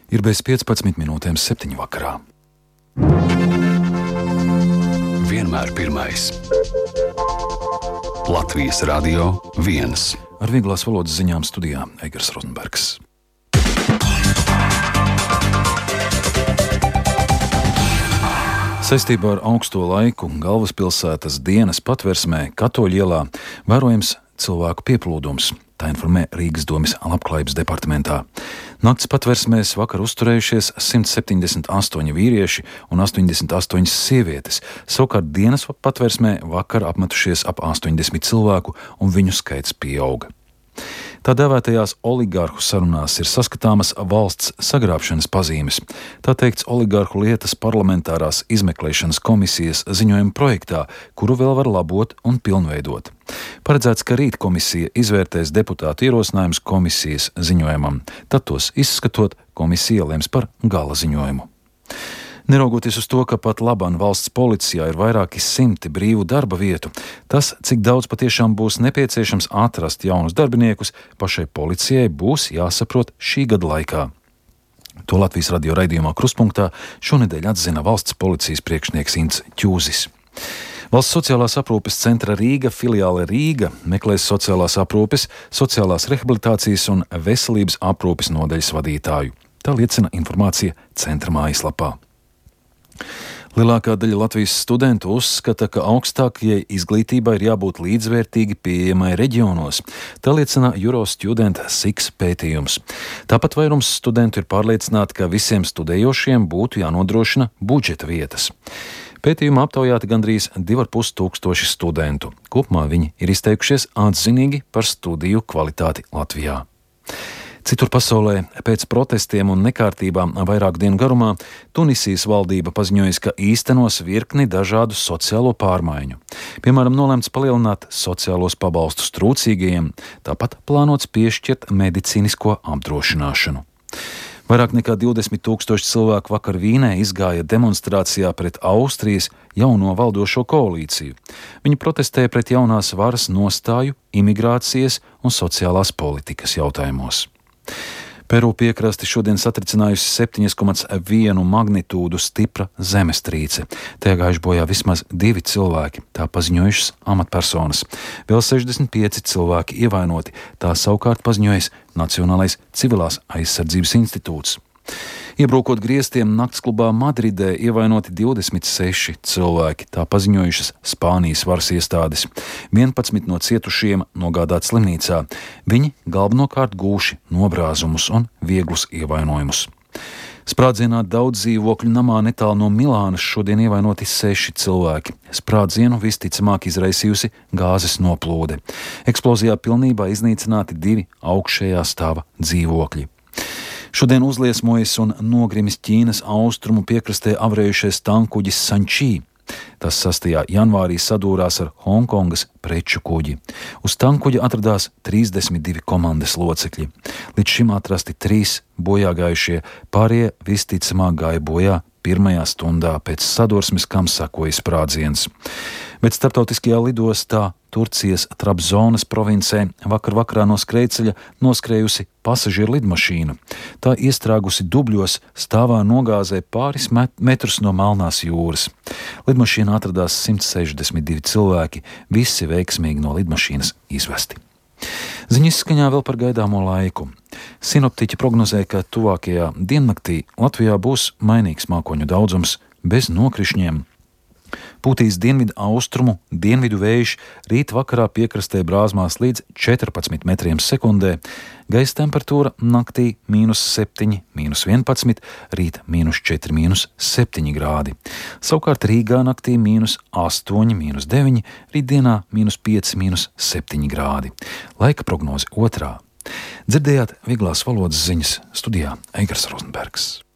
Ir bez 15 minūtēm 7 vakarā. Vienmēr pirmais. Latvijas Radio 1. Ar vieglās valodas ziņām studijā Eigars Rozenbergs. Saistībā ar augsto laiku galvaspilsētas dienas patversmē Katoļu ielā vērojams cilvēku pieplūdums. Tā informē Rīgas domes labklājības departamentā. Nakts patversmēs vakar uzturējušies 178 vīrieši un 88 sievietes. Savukārt dienas patversmē vakar apmetušies ap 80 cilvēku un viņu skaits pieauga. Tā dēvētajās oligarhu sarunās ir saskatāmas valsts sagrābšanas pazīmes. Tā teikts oligarhu lietas parlamentārās izmeklēšanas komisijas ziņojuma projektā, kuru vēl var labot un pilnveidot. Paredzēts, ka rīt komisija izvērtēs deputātu ierosinājumus komisijas ziņojumam. Tad tos izskatot, komisija lems par gala ziņojumu. Neraugoties uz to, ka pat labāk valsts policijā ir vairāki simti brīvu darba vietu, tas, cik daudz patiešām būs nepieciešams atrast jaunus darbiniekus, pašai policijai būs jāsaprot šī gada laikā. To Latvijas radio raidījumā Kruspunktā šonedēļ atzina valsts policijas priekšnieks Ints Ķūzis. Valsts sociālās aprūpes centra Rīga filiāle Rīga meklēs sociālās aprūpes, sociālās rehabilitācijas un veselības aprūpes nodaļas vadītāju. Tā liecina informācija centra mājaslapā. Lielākā daļa Latvijas studentu uzskata, ka augstākajai izglītībai ir jābūt līdzvērtīgi pieejamai reģionos. Tā liecina Eurostudent SIX pētījums. Tāpat vairums studentu ir pārliecināti, ka visiem studējošiem būtu jānodrošina budžeta vietas. Pētījumā aptaujāti gandrīz 2500 studentu. Kopumā viņi ir izteikušies atzinīgi par studiju kvalitāti Latvijā. Citur pasaulē pēc protestiem un nekārtībām vairāku dienu garumā Tunisijas valdība paziņojusi, ka īstenos virkni dažādu sociālo pārmaiņu. Piemēram, nolemts palielināt sociālos pabalstus trūcīgajiem, tāpat plānots piešķirt medicīnisko apdrošināšanu. Vairāk nekā 20 000 cilvēku vakar Vīnē izgāja demonstrācijā pret Austrijas jauno valdošo koalīciju. Viņi protestēja pret jaunās varas nostāju imigrācijas un sociālās politikas jautājumos. Peru piekrasti šodien satricinājusi 7,1 magnitūdu stipra zemestrīce. Tajā gājuši bojā vismaz 2 cilvēki, tā paziņojušas amatpersonas. Vēl 65 cilvēki ievainoti, tā savukārt paziņojis Nacionālais civilās aizsardzības institūts. Iebrukot griestiem naktsklubā Madridē ievainoti 26 cilvēki, tā paziņojušas Spānijas varas iestādes. 11 no cietušiem nogādāti slimnīcā. Viņi galvenokārt gūši nobrāzumus un vieglus ievainojumus. Sprādzienā daudz dzīvokļu namā netālu no Milānas šodien ievainoti 6 cilvēki. Sprādzienu visticamāk izraisījusi gāzes noplūde. Eksplozijā pilnībā iznīcināti 2 augšējā stāva dzīvokļi. Šodien uzliesmojas un nogrimis Ķīnas austrumu piekrastē avrējušais tankkuģis Sančī. Tas 6. janvārī sadūrās ar Hongkongas preču kuģi. Uz tankkuģa atradās 32 komandas locekļi. Līdz šim atrasti 3 bojāgājušie, pārējie visticamāk gāja bojā pirmajā stundā pēc sadursmes, kam sekoja sprādziens. Bet starptautiskajā lidostā Turcijas Trabzonas provincē vakarā no skrejceļa noskrējusi pasažieru lidmašīna. Tā iestrāgusi dubļos stāvā nogāzē pāris metrus no Melnās jūras. Lidmašīnā atradās 162 cilvēki, visi veiksmīgi no lidmašīnas izvesti. Ziņas izskaņā vēl par gaidāmo laiku. Sinoptiķi prognozē, ka tuvākajā diennaktī Latvijā būs mainīgs mākoņu daudzums bez nokrišņiem. Pūtīs dienvidu austrumu, dienvidu vējš, rīt vakarā piekrastē brāzmās līdz 14 metriem sekundē, gaisa temperatūra naktī -7, -11, rīt -4, -7 grādi. Savukārt Rīgā naktī -8, -9, rītdienā -5, -7 grādi. Laika prognoze 2. Dzirdējāt vieglās valodas ziņas studijā Eigars Rozenbergs.